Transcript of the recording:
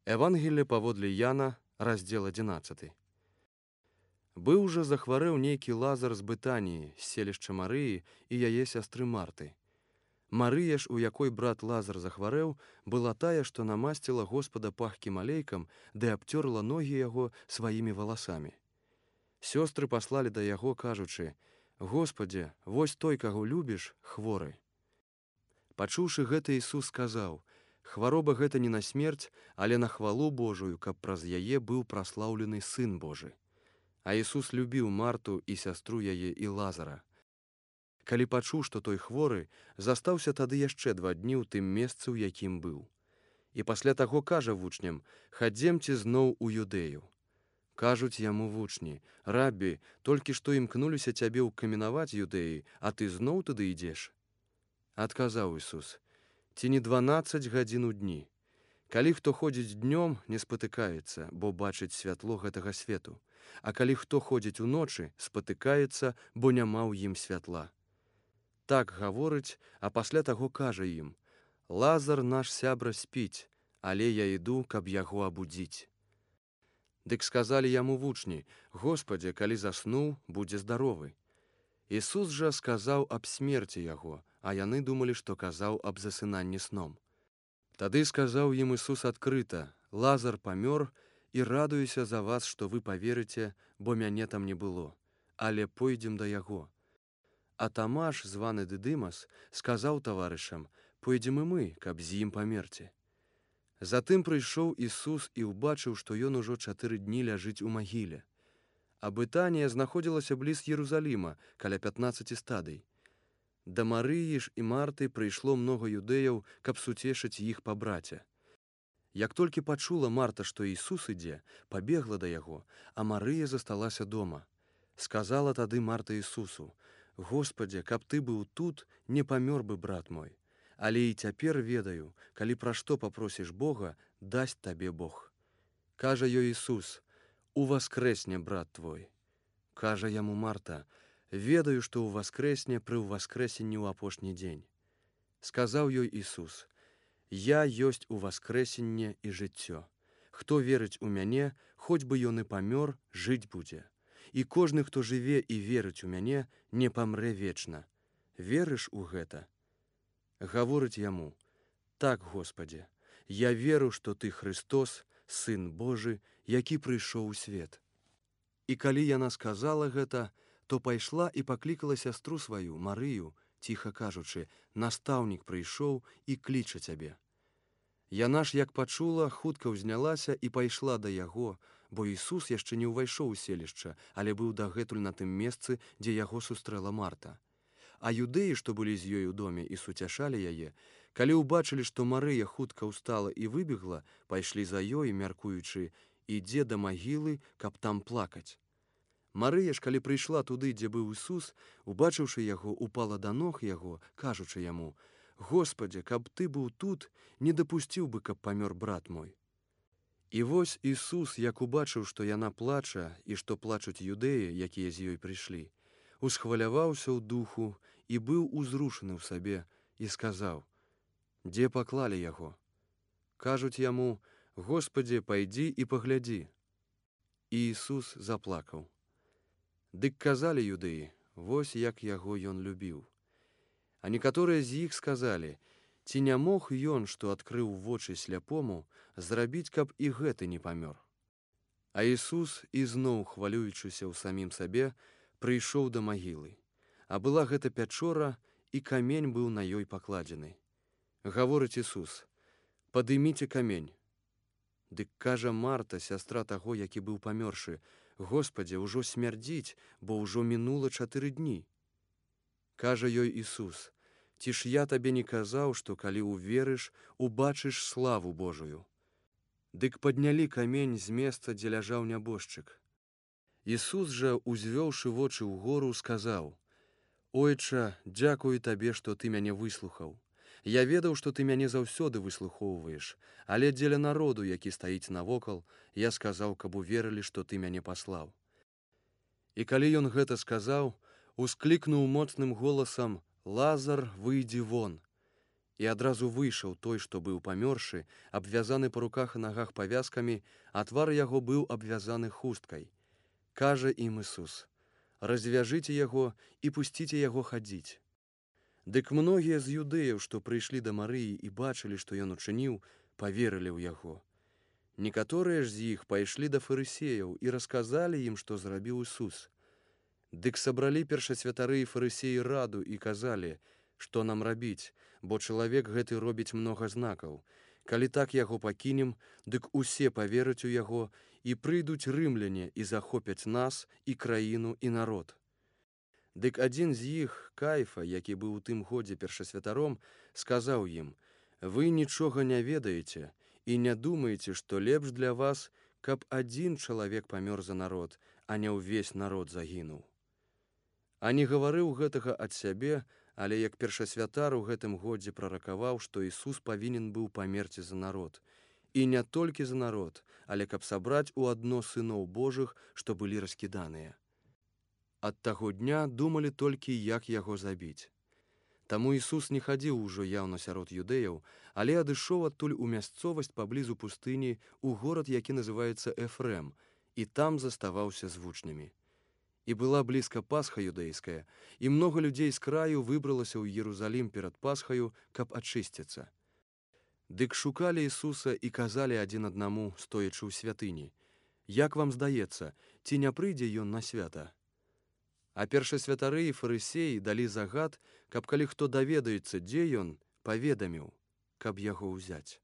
Евангелие паводле Яна, раздзел 11. Быў жа захварэў нейкі Лазар з Бытаніі, з селішча Марыі і яе сястры Марты. Марыя ж, у якой брат Лазар захварэў, была тая, што намасціла Господа пахкім алейкам, ды абцёрла ногі яго сваімі валасамі. Сёстры паслалі да яго, кажучы: «Господзе, вось той, каго любіш, хворы». Пачуўшы гэта, Ісус сказаў: «Хвароба гэта не на смерць, але на хвалу Божую, каб праз яе быў праслаўлены Сын Божы». А Ісус любіў Марту і сястру яе і Лазара. Калі пачуў, што той хворы, застаўся тады яшчэ 2 дні ў тым месцы, у якім быў. І пасля таго кажа вучням: «Хадземце зноў у Юдэю». Кажуць яму вучні: «Рабі, толькі што імкнуліся цябе ўкаменаваць юдэі, а ты зноў туды ідзеш?» Адказаў Ісус: «Ці не 12 гадзін у дні? Калі хто ходзіць днём, не спатыкаецца, бо бачыць святло гэтага свету, а калі хто ходзіць уночы, спатыкаецца, бо няма ў ім святла». Так гаворыць, а пасля таго кажа ім: «Лазар наш сябра спіць, але я іду, каб яго абудзіць». Дык сказалі яму вучні: «Господзе, калі заснуў, будзе здаровы». Ісус жа сказаў аб смерці яго, а яны думалі, што казаў аб засынанні сном. Тады сказаў ім Ісус адкрыта: «Лазар памёр, і радуюся за вас, што вы паверыце, бо мяне там не было, але пойдзем да яго». А Тамаш, званы Дыдымас, сказаў таварышам: «Пойдзем і мы, каб з ім памерці». Затым прыйшоў Ісус і ўбачыў, што ён ужо 4 дні ляжыць у магіле. А Бытанія знаходзілася бліз Єрусаліма, каля 15 стадый. Да Марыі ж і Марты прыйшло многа юдэяў, каб суцешыць іх па браце. Як толькі пачула Марта, што Ісус ідзе, пабегла да яго, а Марыя засталася дома. Сказала тады Марта Ісусу: «Господзе, каб ты быў тут, не памёр бы брат мой. Але і цяпер ведаю, калі пра што папросіш Бога, дасць табе Бог». Кажа ёй Ісус: «Уваскрэсне брат твой». Кажа яму Марта: «Ведаю, што ўваскрэсне пры ўваскрэсенні ў апошні дзень». Сказаў ёй Ісус: «Я ёсць уваскрэсенне і жыццё. Хто верыць у мяне, хоць бы ён і памёр, жыць будзе. І кожны, хто жыве і верыць у мяне, не памрэ вечна. Верыш у гэта?» Гаворыць яму: «Так, Господзе, я веру, што ты Христос, Сын Божы, які прыйшоў у свет». І калі яна сказала гэта, то пайшла і паклікала сястру сваю, Марыю, ціха кажучы: «Настаўнік прыйшоў і кліча цябе». Яна ж, як пачула, хутка ўзнялася і пайшла да яго, бо Ісус яшчэ не ўвайшоў у селішча, але быў дагэтуль на тым месцы, дзе яго сустрэла Марта. А юдэі, што былі з ёй у доме і суцяшалі яе, калі ўбачылі, што Марыя хутка ўстала і выбегла, пайшлі за ёй, мяркуючы: «Ідзе да магілы, каб там плакаць». Марыя ж, калі прыйшла туды, дзе быў Ісус, убачыўшы яго, упала да ног яго, кажучы яму: «Господзе, каб ты быў тут, не дапусціў бы, каб памёр брат мой». І вось Ісус, як убачыў, што яна плача і што плачуць юдэі, якія з ёй прыйшлі, усхваляваўся ў духу і быў узрушаны ў сабе і сказаў: «Дзе паклалі яго?» Кажуць яму: «Господзе, пайдзі і паглядзі». І Ісус заплакаў. Дык казалі юдэі: «Вось як яго ён любіў». А некаторыя з іх сказалі: «Ці не мог ён, што адкрыў вочы сляпому, зрабіць, каб і гэты не памёр?» А Ісус, ізноў хвалюючыся ў самім сабе, прыйшоў да магілы. А была гэта пячора, і камень быў на ёй пакладзены. Гаворыць Ісус: «Падыміце камень». Дык кажа Марта, сястра таго, які быў памёршы: «Господзе, ужо смярдзіць, бо ўжо мінула 4 дні». Кажа ёй Ісус: «Ці ж я табе не казаў, што калі уверыш, убачыш славу Божую?» Дык паднялі камень з месца, дзе ляжаў нябожчык. Ісус жа, узвёўшы вочы ўгору, сказаў: «Ойча, дзякую табе, што ты мяне выслухаў. Я ведаў, што ты мяне заўсёды выслухоўваеш, але дзеля народу, які стаіць навокал, я сказаў, каб уверылі, што ты мяне паслаў». І калі ён гэта сказаў, усклікнуў моцным голасам: «Лазар, выйдзі вон!» І адразу выйшаў той, што быў памёршы, абвязаны па руках і нагах павязкамі, а твар яго быў абвязаны хусткай. Кажа ім Ісус: «Развяжыце яго і пусціце яго хадзіць». Дык многія з юдэяў, што прыйшлі да Марыі і бачылі, што ён учыніў, паверылі ў яго. Некаторыя ж з іх пайшлі да фарысеяў і расказалі ім, што зрабіў Ісус. Дык сабралі першасвятары і фарысеі раду і казалі: «Што нам рабіць, бо чалавек гэты робіць многа знакаў. Калі так яго пакінем, дык усе павераць у яго, і прыйдуць рымляне і захопяць нас, і краіну, і народ». Дык адзін з іх, Каіфа, які быў у тым годзе першасвятаром, сказаў ім: «Вы нічога не ведаеце і не думаеце, што лепш для вас, каб адзін чалавек памёр за народ, а не ўвесь народ загінуў». А не гаварыў гэтага ад сябе, але як першасвятар у гэтым годзе праракаваў, што Ісус павінен быў памерці за народ. І не толькі за народ, але каб сабраць у адно сыноў Божых, што былі раскіданыя. Ад таго дня думалі толькі, як яго забіць. Таму Ісус не хадзіў ужо яўна сярод юдэяў, але адышоў адтуль у мясцовасць паблізу пустыні, у горад, які называецца Эфрэм, і там заставаўся з вучнямі. І была блізка Пасха юдэйская, і многа людзей з краю выбралася ў Єрусалім перад Пасхаю, каб ачысціцца. Дык шукалі Ісуса і казалі адзін аднаму, стоячы ў святыні: «Як вам здаецца, ці не прыйдзе ён на свята?» А першасвятары і фарысеі далі загад, каб калі хто даведаецца, дзе ён, паведаміў, каб яго ўзяць.